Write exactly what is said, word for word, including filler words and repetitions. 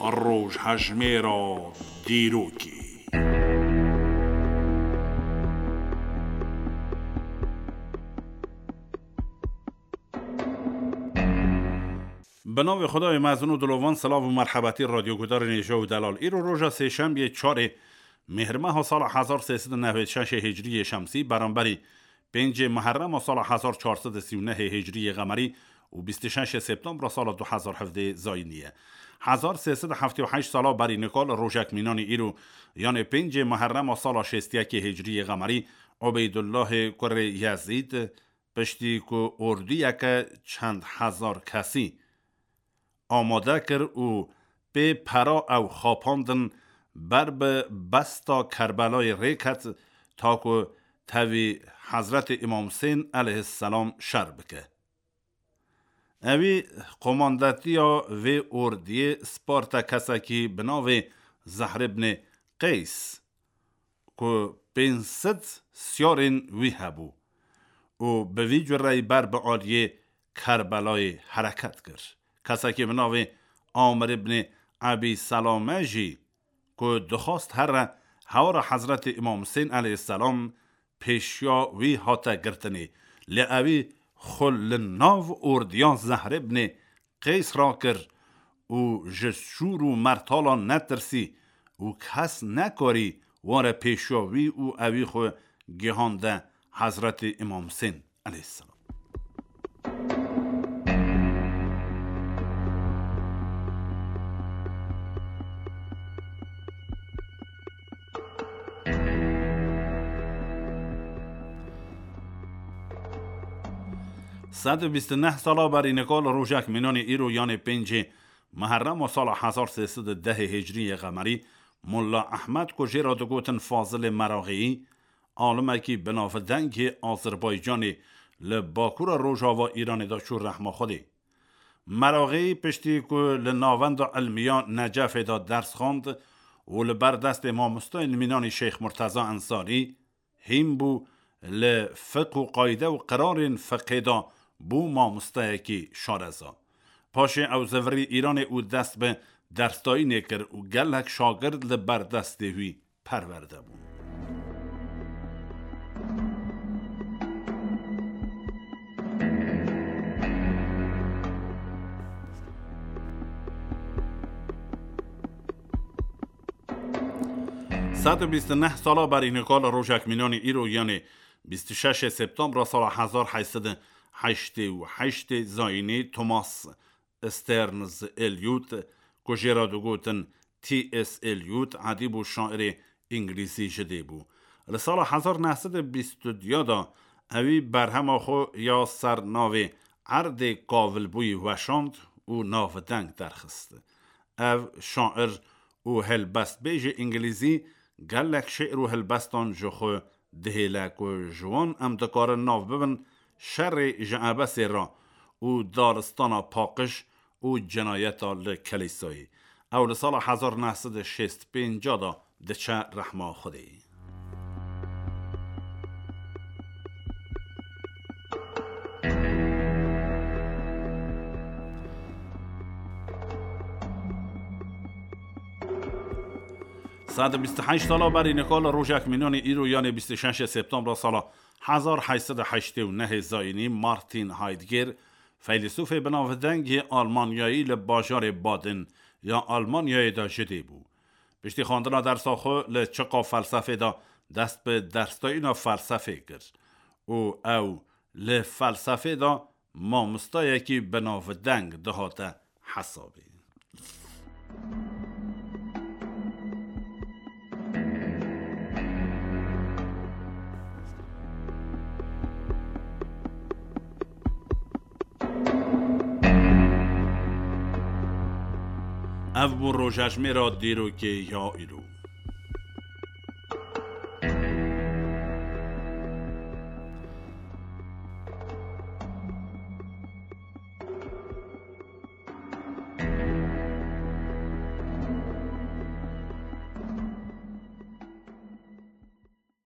Rojhejmêra dîrokê. Bi navê Xwedayê mezin û dilovan, silav û merhebetî radyogudarên hêja û delal. Îro roja sêşembiyê çarê Mêhrmeha sala hezar sê sed û newêd şeşê hicriyê şemsî, beramberî pêncê Muherrema sala hezar çar sed û sî û nehê hicriyê qemerî û bîst û şeşê Septembra sala du hezar hevdê zayînî ye. Hezar sê sed û heftê û heşt sala berî nika li rojek mînanî îro, yanê pêncê Muherrema sala şêst û yekê hicriyê qemerî, Ubeydullahê kurê Yezîd, piştî ku orduyeke çend hezar kesî amade kir û pê pera ew xapandin, ber bi besta Kerbelayê rêket, ta ku tevî Hezretê Îmam Husên eleyhisselam şer bike. Ewî qomandetiya vê ordiyê sparte kesekî bi navê Zehr ibnê Qeys, ku pênc sed siyarên wî hebû û bi vî cureyî ber bi aliyê Kerbelayê hereket kir. Kesekî bi navê Amir ibnê Ebî Selame jî, ku dixwast here hewara Hezretê Îmam Husên eleyhisselam pêşiya wî hate girtinê, lê ewî xwe li nav ordiya Zehr ibnê Qeys rakir û ji şûr û mertalan netirsî û kes nekarî were pêşiya wî û ewî xwe gihande Hezretê Îmam Husên eleyhisselam. Sed û bîst û neh sala berî nika li rojek mînanê îro, yanê pêncê Muherrema sala hezar sê sed û dehê hicriyê qemerî, Molla Ehmed, ku jê re digotin Fazilê Meraxîyî, alimekî binavdengê Azerbaycanê, li bakura rojava Îranê de çû rehma Xwedê. Meraxîyî piştî ku li Navenda Ilmiya Necefê de ders xwend û li ber destê mamosteyên mînanî Şeyx Murteza Ensarî, hîn bû, li fiq û qayde û qirarên fiqê de bû mamosteyekî şareza. Paşê ew zivirî Îranê û dest bi dersdayînê kir û gelek şagird li ber destê wî perwerde bûn. Sed û bîst û neh sala berî nika li rojek mînanî îro, yanê bîst û şeşê Septembra sala hezar heyt sed û heştê û heştê zayînî, Thomas Stearns Eliot, ku jê re digotin T S Eliot, edîb û şairê îngilîzî ji dê bû. Li sala hezar neh sed û bîst û du de ewî berhema xwe ya ser navê Erdê Kavilbûyî weşand û navdeng derxist. Ev şair û helbestbêjê îngilîzî gelek şi'r û helbestan ji xwe dihêle ku ji wan em dikarin nav bibin şerê ji ebesê re û daristana paqij û cinayeta li kelîsayê. Ew li sala hezar neh sed û şêst pênc de diçe rehma Xwedê. Sed û bîst û heşt sala berî nika li rojek mînanî îro, yanê bîst û şeşê Septembra sala hezar heyt sed û heştê û nehê zayînî, Martin Heidegger, feylesûfê binavdengê Almanyayî, li bajarê Baden ya Almanyayê de ji dê bû. Piştî xwendina dersa xwe li çiqa felsefê de dest bi dersdayîna felsefê kir û ew li felsefê de mamostayekî binavdeng dihate hesabê. Ev bû rojejmêra dîrokê ya îro.